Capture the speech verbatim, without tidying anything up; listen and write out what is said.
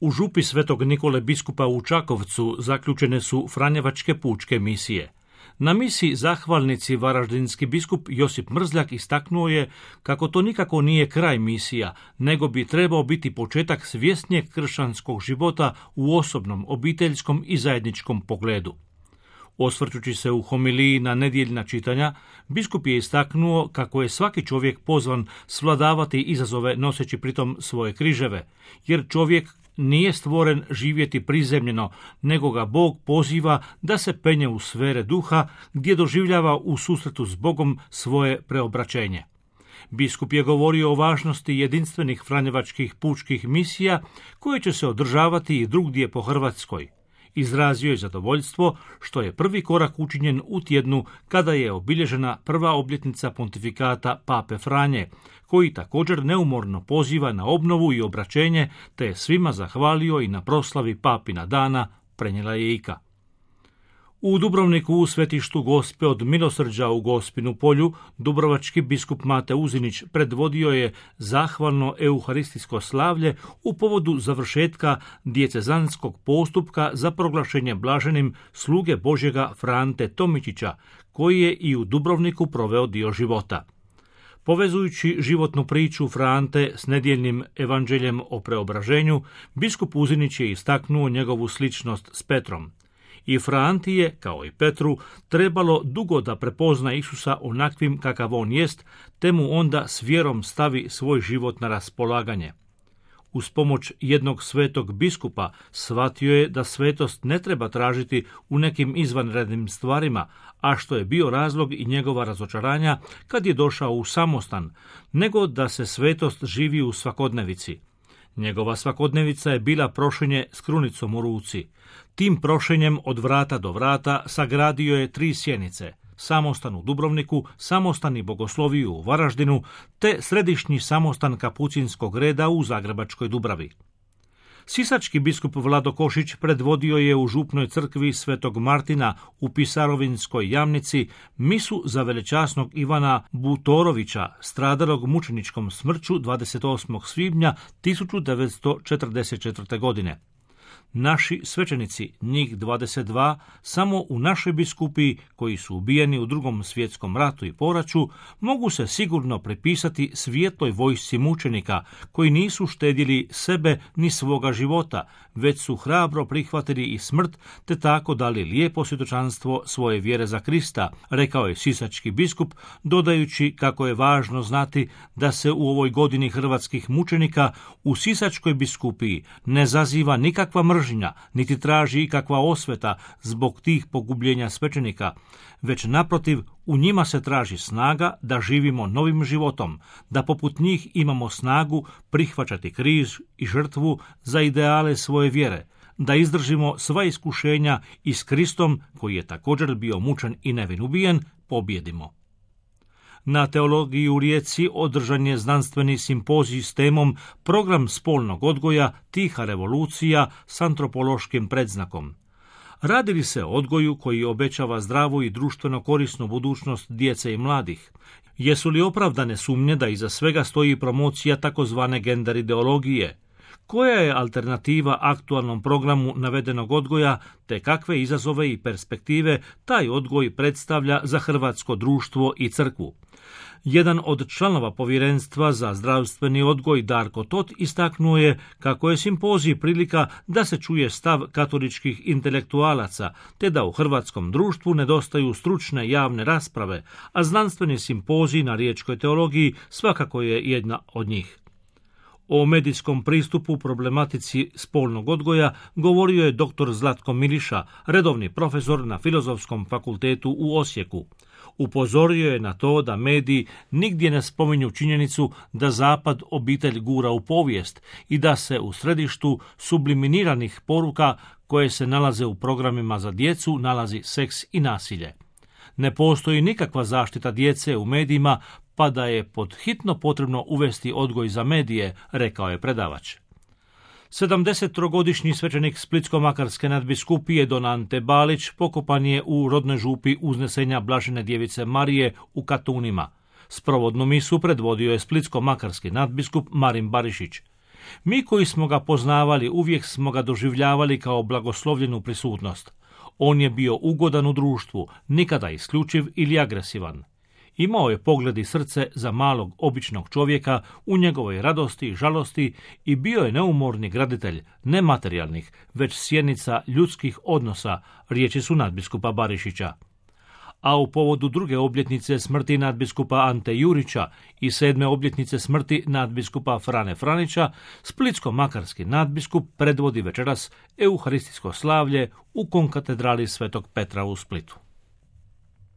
U župi Svetog Nikole biskupa u Čakovcu zaključene su Franjevačke pučke misije. Na misiji zahvalnici varaždinski biskup Josip Mrzljak istaknuo je kako to nikako nije kraj misija, nego bi trebao biti početak svjesnijeg kršćanskog života u osobnom, obiteljskom i zajedničkom pogledu. Osvrćući se u homiliji na nedjeljna čitanja, biskup je istaknuo kako je svaki čovjek pozvan svladavati izazove noseći pritom svoje križeve, jer čovjek nije stvoren živjeti prizemljeno, nego ga Bog poziva da se penje u sfere duha gdje doživljava u susretu s Bogom svoje preobraćenje. Biskup je govorio o važnosti jedinstvenih franjevačkih pučkih misija koje će se održavati i drugdje po Hrvatskoj. Izrazio je zadovoljstvo što je prvi korak učinjen u tjednu kada je obilježena prva obljetnica pontifikata Pape Franje, koji također neumorno poziva na obnovu i obraćenje, te je svima zahvalio i na proslavi Papina dana, prenijela je Ika. U Dubrovniku u svetištu Gospe od Milosrđa u Gospinu polju, dubrovački biskup Mate Uzinić predvodio je zahvalno euharistijsko slavlje u povodu završetka dijecezanskog postupka za proglašenje blaženim sluge Božjega Frante Tomičića, koji je i u Dubrovniku proveo dio života. Povezujući životnu priču Frante s nedjeljnim evanđeljem o preobraženju, biskup Uzinić je istaknuo njegovu sličnost s Petrom. I Franti je, kao i Petru, trebalo dugo da prepozna Isusa onakvim kakav on jest, te mu onda s vjerom stavi svoj život na raspolaganje. Uz pomoć jednog svetog biskupa shvatio je da svetost ne treba tražiti u nekim izvanrednim stvarima, a što je bio razlog i njegova razočaranja kad je došao u samostan, nego da se svetost živi u svakodnevici. Njegova svakodnevica je bila prošenje s krunicom u ruci. Tim prošenjem od vrata do vrata sagradio je tri sjenice, samostan u Dubrovniku, samostan i bogosloviju u Varaždinu, te središnji samostan kapucinskog reda u Zagrebačkoj Dubravi. Sisački biskup Vlado Košić predvodio je u župnoj crkvi Svetog Martina u Pisarovinskoj Jamnici misu za velečasnog Ivana Butorovića, stradalog mučeničkom smrću dvadeset osmog svibnja tisuću devetsto četrdeset četvrte. godine. Naši svećenici, njih dvadeset dva, samo u našoj biskupiji, koji su ubijeni u Drugom svjetskom ratu i poraću, mogu se sigurno pripisati svijetloj vojsci mučenika, koji nisu štedili sebe ni svoga života, već su hrabro prihvatili i smrt, te tako dali lijepo svjedočanstvo svoje vjere za Krista, rekao je sisački biskup, dodajući kako je važno znati da se u ovoj godini hrvatskih mučenika u sisačkoj biskupiji ne zaziva nikakva mržnja, niti traži ikakva osveta zbog tih pogubljenja svećenika, već naprotiv u njima se traži snaga da živimo novim životom, da poput njih imamo snagu prihvaćati križ i žrtvu za ideale svoje vjere, da izdržimo sva iskušenja i s Kristom, koji je također bio mučen i nevin ubijen, pobjedimo. Na teologiji u Rijeci održan je znanstveni simpozij s temom Program spolnog odgoja, tiha revolucija s antropološkim predznakom. Radi li se o odgoju koji obećava zdravu i društveno korisnu budućnost djece i mladih? Jesu li opravdane sumnje da iza svega stoji promocija takozvane gender ideologije? Koja je alternativa aktualnom programu navedenog odgoja, te kakve izazove i perspektive taj odgoj predstavlja za hrvatsko društvo i crkvu? Jedan od članova povjerenstva za zdravstveni odgoj, Darko Tot, istaknuo je kako je simpozij prilika da se čuje stav katoličkih intelektualaca, te da u hrvatskom društvu nedostaju stručne javne rasprave, a znanstveni simpozij na riječkoj teologiji svakako je jedna od njih. O medijskom pristupu problematici spolnog odgoja govorio je doktor Zlatko Miliša, redovni profesor na Filozofskom fakultetu u Osijeku. Upozorio je na to da mediji nigdje ne spominju činjenicu da Zapad obitelj gura u povijest i da se u središtu subliminiranih poruka koje se nalaze u programima za djecu nalazi seks i nasilje. Ne postoji nikakva zaštita djece u medijima, pa da je pod hitno potrebno uvesti odgoj za medije, rekao je predavač. sedamdesettrogodišnji svećenik Splitsko-makarske nadbiskupije Don Ante Balić pokopan je u rodnoj župi Uznesenja Blažene djevice Marije u Katunima. Sprovodnu misu predvodio je Splitsko-makarski nadbiskup Marin Barišić. Mi koji smo ga poznavali uvijek smo ga doživljavali kao blagoslovljenu prisutnost. On je bio ugodan u društvu, nikada isključiv ili agresivan. Imao je pogled i srce za malog običnog čovjeka u njegovoj radosti i žalosti i bio je neumorni graditelj, ne materijalnih, već sjenica ljudskih odnosa, riječi su nadbiskupa Barišića. A u povodu druge obljetnice smrti nadbiskupa Ante Jurića i sedme obljetnice smrti nadbiskupa Frane Franića, splitsko-makarski nadbiskup predvodi večeras euharistijsko slavlje u konkatedrali Svetog Petra u Splitu.